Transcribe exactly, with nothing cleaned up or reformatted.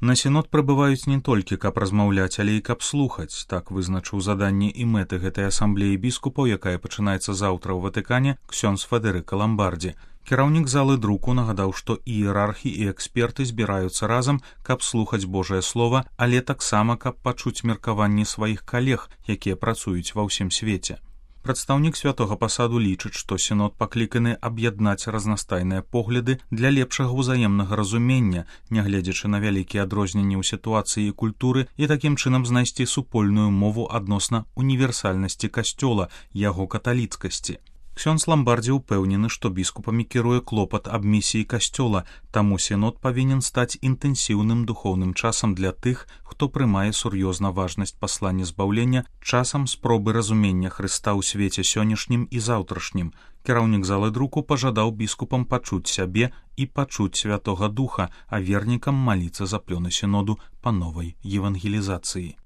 На сінод прыбываюць не толькі, каб размаўляць, але і каб слухаць. Так вызначыў заданні і мэты гэтай асамблеі біскупаў, якая пачынаецца заўтра ў Ватыкане, ксёндз Федэрыка Ламбардзі. Кіраўнік залы друку нагадаў, што іерархі і эксперты збіраюцца разам, каб слухаць Божае Слова, але таксама, каб пачуць меркаванні сваіх калег, якія працуюць ва ўсім свеце. Прадстаўнік святога пасаду лічыць, што сінод пакліканы аб'яднаць разнастайныя погляды для лепшага ўзаемнага разумення, нягледзячы на вялікія адрозненні ў сітуацыі і культуры, і такім чынам знайсці супольную мову адносна універсальнасці касцёла, яго каталіцкасці. Ксёндз Ламбардзі ўпэўнены, што біскупамі кіруе клопат аб місіі касцёла, таму сінод павінен стаць інтэнсіўным духоўным часам для тых, хто прымае сур'ёзна важнасць паслання збаўлення, часам спробы разумення Хрыста ў свеце сённяшнім і заўтрашнім. Кіраўнік залы друку пажадаў біскупам пачуць сябе і пачуць Святога Духа, а вернікам маліцца за плёны сіноду па новай евангелізацыі.